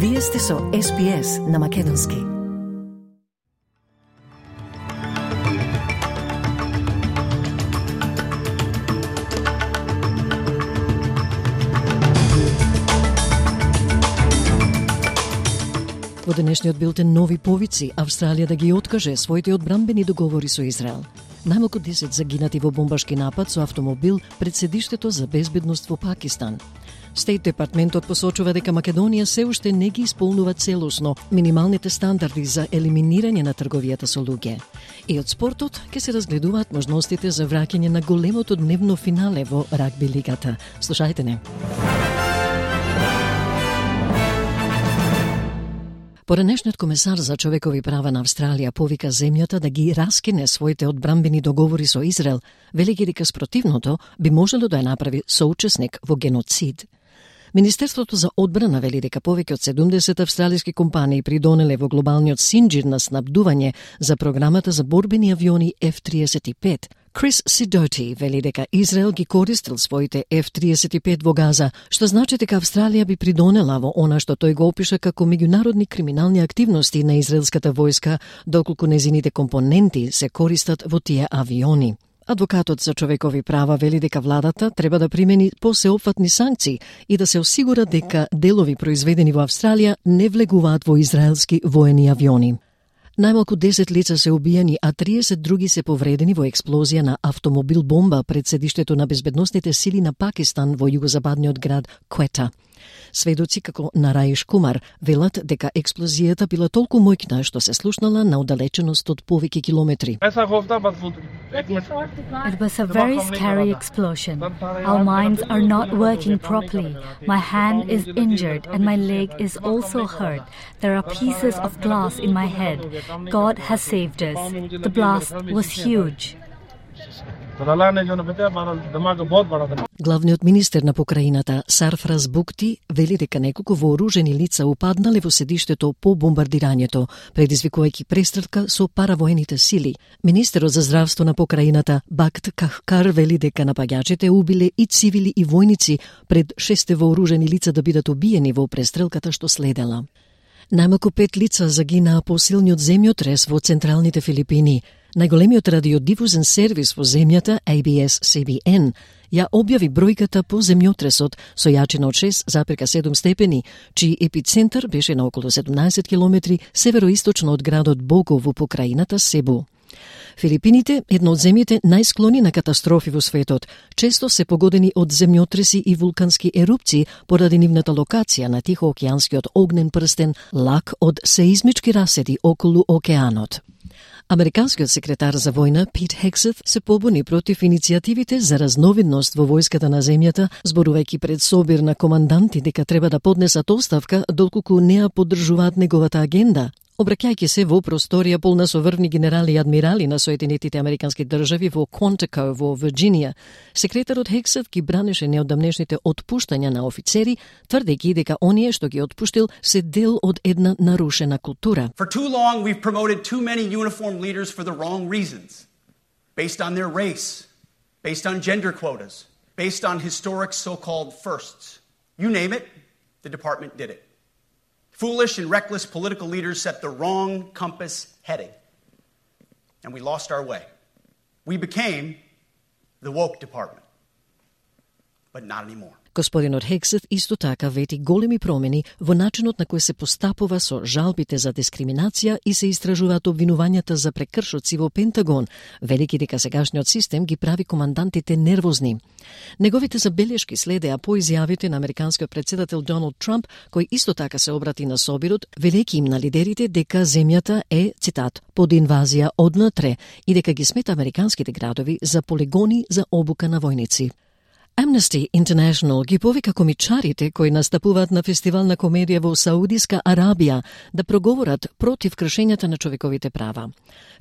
Вие сте со SPS на Македонски. Во денешниот билтен нови повици, Австралија да ги откаже своите одбранбени договори со Израел. Најмалку 10 загинати во бомбашки напад со автомобил пред седиштето за безбедност во Пакистан. Стейт департментот посочува дека Македонија се уште не ги исполнува целосно минималните стандарди за елиминирање на трговијата со луѓе. И од спортот ќе се разгледуваат можностите за враќање на големото дневно финале во рагби лигата. Слушајте не. Поранешниот комесар за човекови права на Австралија повика земјата да ги раскине своите одбранбени договори со Израел, велики дека спротивното би можело да ја направи соучесник во геноцид. Министерството за одбрана вели дека повеќе од 70 австралиски компании придонеле во глобалниот синџир на снабдување за програмата за борбени авиони F-35. Крис Сидоти вели дека Израел ги користил своите F-35 во Газа, што значи дека Австралија би придонела во она што тој го опиша како меѓународни криминални активности на израелската војска, доколку незините компоненти се користат во тие авиони. Адвокатот за човекови права вели дека владата треба да примени посеопфатни санкции и да се осигура дека делови произведени во Австралија не влегуваат во израелски воени авиони. Најмалку 10 лица се убиени, а 30 други се повредени во експлозија на автомобил бомба пред седиштето на безбедносните сили на Пакистан во југозападниот град Квета. Сведоци како Нараиш Кумар велат дека експлозијата била толку моќна што се слушнала на оддалеченост од повеќе километри. It was a very scary explosion. Our minds are not working properly. My hand is injured and my leg is also hurt. There are pieces of glass in my head. God has saved us. The blast was huge. Главниот министер на покраината Сарфраз Букти вели дека неколку вооружени лица упаднале во седиштето по бомбардирањето, предизвикувајќи престрелка со паравоените сили. Министерот за здравство на покраината Бакт Кахкар вели дека напаѓачите убиле и цивили и војници пред 6 вооружени лица да бидат убиени во престрелката што следела. Најмалку 5 лица загинаа по силниот земјотрес во централните Филипини. Најголемиот радиодифузен сервис во земјата, ABS-CBN, ја објави бројката по земјотресот со јачина од 6,7 степени, чиј епицентар беше на околу 17 километри североисточно од градот Бого во покраината Себу. Филипините, едно од земјите најсклони на катастрофи во светот, често се погодени од земјотреси и вулкански ерупции поради нивната локација на Тихоокеанскиот огнен прстен, лак од сеизмички раседи околу океанот. Американскиот секретар за војна Пит Хексет се побуни против иницијативите за разновидност во војската на земјата, зборувајќи пред собир на команданти дека треба да поднесат оставка доколку не ја поддржуваат неговата агенда. Обраќајќи се во просторија полна со врвни генерали и адмирали на Соединетите Американски држави во Quantico во Вирџинија, секретарот Хексет ги бранеше неодамнешните отпуштања на офицери, тврдејќи дека оние што ги отпуштил се дел од една нарушена култура. For too long we've promoted too many uniformed leaders for the wrong reasons, based on their race, based on gender quotas, based on historic so-called firsts. You name it, the department did it. Foolish and reckless political leaders set the wrong compass heading. And we lost our way. We became the woke department. But not anymore. Господинот Хексет исто така вети големи промени во начинот на кој се постапува со жалбите за дискриминација и се истражуваат обвинувањата за прекршоци во Пентагон, велики дека сегашниот систем ги прави командантите нервозни. Неговите забелешки следеа по изјавите на американскиот претседател Доналд Трамп, кој исто така се обрати на собирот, велејќи им на лидерите дека земјата е, цитат, под инвазија однатре и дека ги смета американските градови за полигони за обука на војници. Amnesty International ги повика комичарите кои настапуваат на фестивал на комедија во Саудиска Арабија да проговорат против кршењата на човековите права.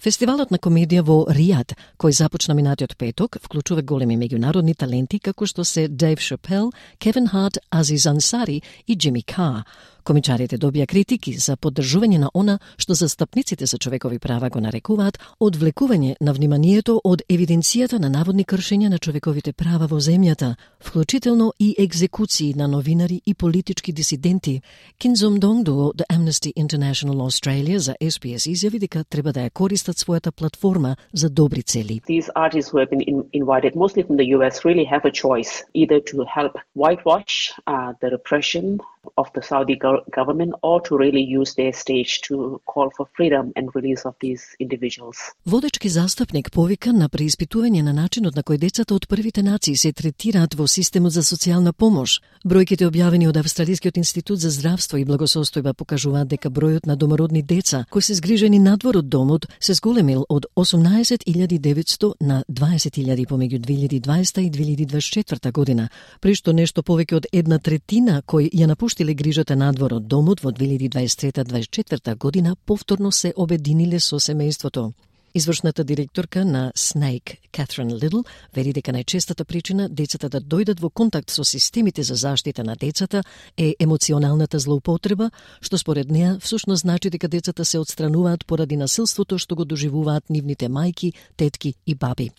Фестивалот на комедија во Ријад, кој започна минатиот петок, вклучува големи меѓународни таленти како што се Дейв Шапел, Кевин Харт, Азиз Ансари и Джими Кар. Комичарите добија критики за поддржување на она што застапниците за човекови права го нарекуваат одвлекување на вниманието од евиденцијата на наводни кршења на човековите права во земјата, вклучително и екзекуции на новинари и политички дисиденти. Кинзом Донгдо од Amnesty International Australia за SBS изјави дека треба да ја користат својата платформа за добри цели. These artists who have been invited, mostly from the US, really have a choice either to help whitewash the repression of the Saudi government or to really use their stage to call for freedom and release of these individuals. Водечки застапник повика на преиспитување на начинот на кој децата од првите нации се третираат во системот за социјална помош. Бројките објавени од Австралискиот институт за здравство и благосостојба покажуваат дека бројот на домородни деца кои се згрижени надвор од домот се зголемил од 18.900 на 20.000 помеѓу 2020 и 2024 година, при што нешто повеќе од 1/3 кои ја напуштиле грижата надвор од домот во 2023-2024 година повторно се обединиле со семејството. Извршната директорка на SNAIC, Catherine Little, вели дека најчестата причина децата да дојдат во контакт со системите за заштита на децата е емоционалната злоупотреба, што според неа всушност значи дека децата се отстрануваат поради насилството што го доживуваат нивните мајки, тетки и баби.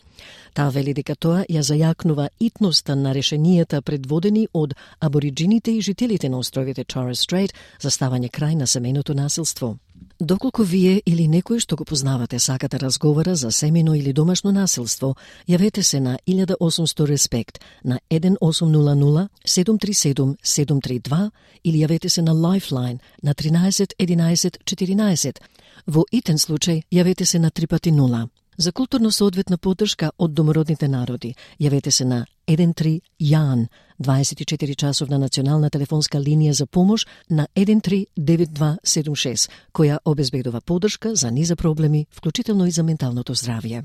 Таа вели дека тоа ја зајакнува итноста на решенијата предводени од абориджините и жителите на островите Torres Strait за ставање крај на семејното насилство. Доколку вие или некој што го познавате сакате разговора за семејно или домашно насилство, јавете се на 1800 Респект на 1800 737 732 или јавете се на Lifeline на 13 11 14. Во итен случај јавете се на 3x0. За културно соодветна поддршка од домородните народи, јавете се на 13 Јан, 24-часовна национална телефонска линија за помош на 139276, која обезбедува поддршка за низа проблеми, вклучително и за менталното здравје.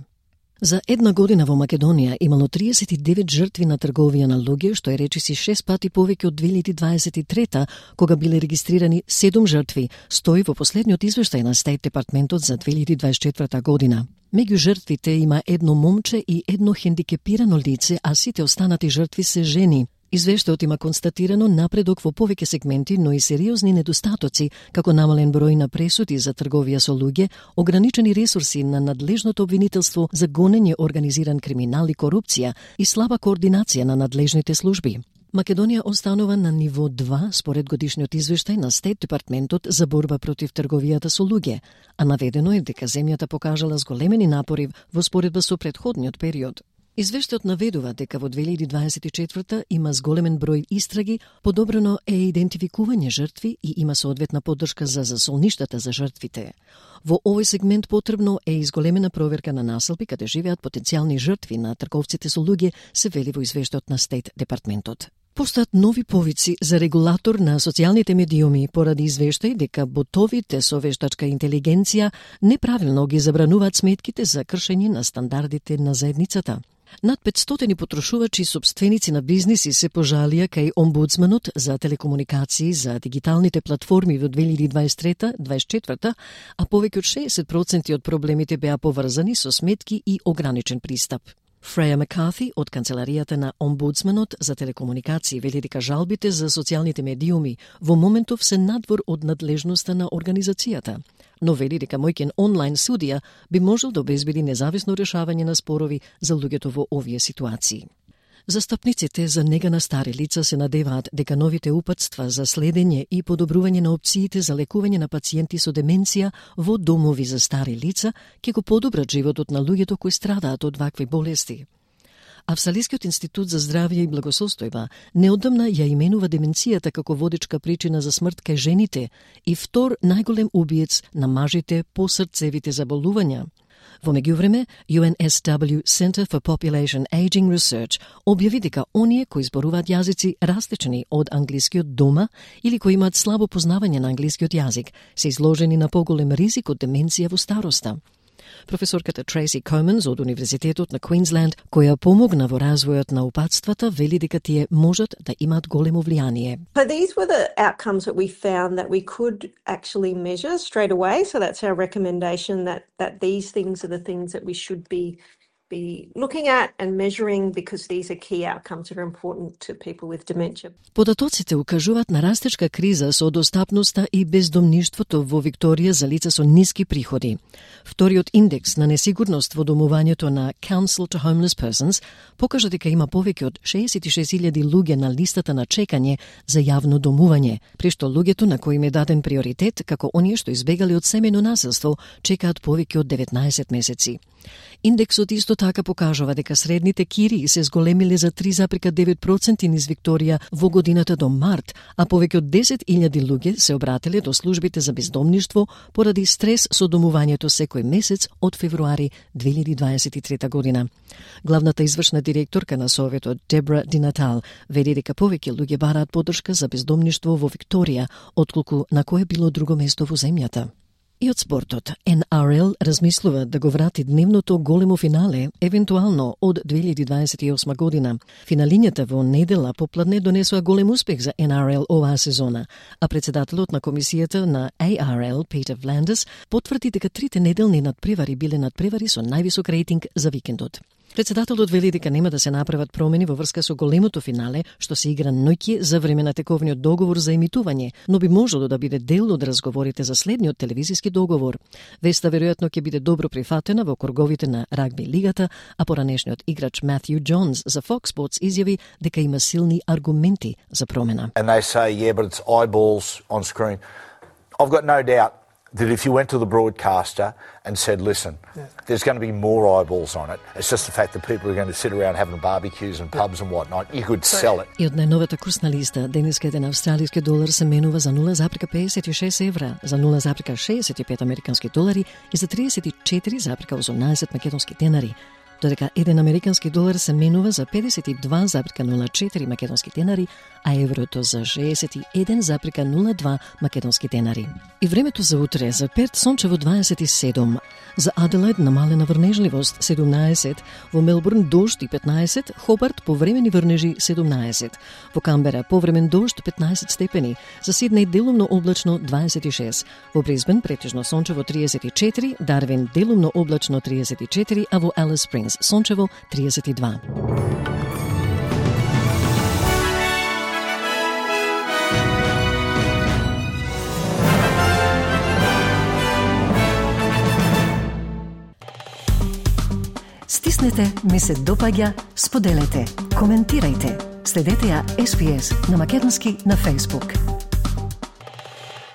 За една година во Македонија имало 39 жртви на трговија на луѓе, што е речиси 6 пати повеќе од 2023, кога биле регистрирани 7 жртви, стои во последниот извештај на Стейт Департментот за 2024 година. Меѓу жртвите има едно момче и едно хендикепирано лице, а сите останати жртви се жени. Извештајот има констатирано напредок во повеќе сегменти, но и сериозни недостатоци, како намален број на пресуди за трговија со луѓе, ограничени ресурси на надлежното обвинителство за гонење организиран криминал и корупција и слаба координација на надлежните служби. Македонија останува на ниво 2 според годишниот извештај на Стейт Департментот за борба против трговијата со луѓе, а наведено е дека земјата покажала зголемени напори во споредба со претходниот период. Извештајот наведува дека во 2024 има зголемен број истраги, подобрено е идентификување жртви и има соодветна поддршка за засолништата за жртвите. Во овој сегмент потребно е изголемена проверка на населби каде живеат потенцијални жртви на трговците со луѓе, се вели во извештајот на Стейт Департментот. Постојат нови повици за регулатор на социјалните медиуми поради извештај дека ботовите со вештачка интелигенција неправилно ги забрануваат сметките за кршење на стандардите на заедницата. Над 500 потрошувачи и сопственици на бизниси се пожалија кај омбудсманот за телекомуникации за дигиталните платформи во 2023-2024, а повеќе од 60% од проблемите беа поврзани со сметки и ограничен пристап. Фреја Маккарти од канцеларијата на омбудсманот за телекомуникации вели дека жалбите за социјалните медиуми во моментов се надвор од надлежноста на организацијата, но вели дека мојкен онлайн судија би можел да обезбеди независно решавање на спорови за луѓето во овие ситуации. Застапниците за нега на стари лица се надеваат дека новите упатства за следење и подобрување на опциите за лекување на пациенти со деменција во домови за стари лица ќе го подобрат животот на луѓето кои страдаат од вакви болести. Австралискиот институт за здравје и благосостојба неодамна ја именува деменцијата како водечка причина за смрт кај жените и втор најголем убиец на мажите по срцевите заболувања. Во меѓувреме, UNSW Center for Population Aging Research објави дека оние кои зборуваат јазици различни од англискиот дома или кои имаат слабо познавање на англискиот јазик се изложени на поголем ризик од деменција во староста. Професорката Трейси Команс од Универзитетот на Квинсленд, која помогна во развојот на упатствата, вели дека тие можат да имаат големо влијание. So these were the outcomes that we found that we could actually measure straight away. So that's our recommendation that these things are the things that we should be be looking at and measuring because these are key outcomes that are important to people with dementia. Податоците укажуваат на растечка криза со достапноста и бездомништвото во Викторија за лица со ниски приходи. Вториот индекс на несигурност во домувањето на Council to Homeless Persons покажа дека има повеќе од 66.000 луѓе на листата на чекање за јавно домување, при што луѓето на кои им е даден приоритет, како оние што избегали од семејно насилство, чекаат повеќе од 19 месеци. Индексот исто така покажува дека средните кирии се зголемиле за 3,9% низ Викторија во годината до март, а повеќе од 10.000 луѓе се обратиле до службите за бездомништво поради стрес со домувањето секој месец од февруари 2023 година. Главната извршна директорка на Советот Дебра Ди Натал вели дека повеќе луѓе бараат поддршка за бездомништво во Викторија, отколку на кое било друго место во земјата. И од спортот, NRL размислува да го врати дневното големо финале, евентуално од 2028 година. Финалињата во недела попладне донесоа голем успех за NRL оваа сезона, а председателот на комисијата на ARL, Peter Vlanders, потврди дека трите неделни надпревари биле надпревари со највисок рейтинг за викендот. Председателот вели дека нема да се направат промени во врска со големото финале, што се игра ноќе за време на тековниот договор за емитување, но би можело да биде дел од разговорите за следниот телевизиски договор. Веста веројатно ќе биде добро прифатена во круговите на рагби лигата, а поранешниот играч Матthew Johns за Fox Sports изјави дека има силни аргументи за промена. And they say, yeah, but it's eyeballs on screen. I've got no doubt that if you went to the broadcaster and said, listen, there's going to be more eyeballs on it. It's just the fact that people are going to sit around having barbecues and pubs and whatnot. You could sell it. И од најновата курсна листа, денеска еден австралиски долар се менува за 0,56 евра, за 0,65 американски долари и за 34,18 македонски денари. Додека еден американски долар се менува за 52,04 македонски денари, а еврото за 61,02 македонски денари. И времето за утре: за Перт сончево 27, за Аделаид намалена врнежливост 17, во Мелбурн дожд и 15, Хобарт повремени врнежи 17, во Камбера повремен дожд 15 степени, за Сиднеј делумно облачно 26, во Брисбен претежно сончево 34, Дарвин делумно облачно 34, а во Алис Спрингс сончево 32. Стиснете, ми се допаѓа, споделете, коментирајте. Следете ја SPS на македонски на Facebook.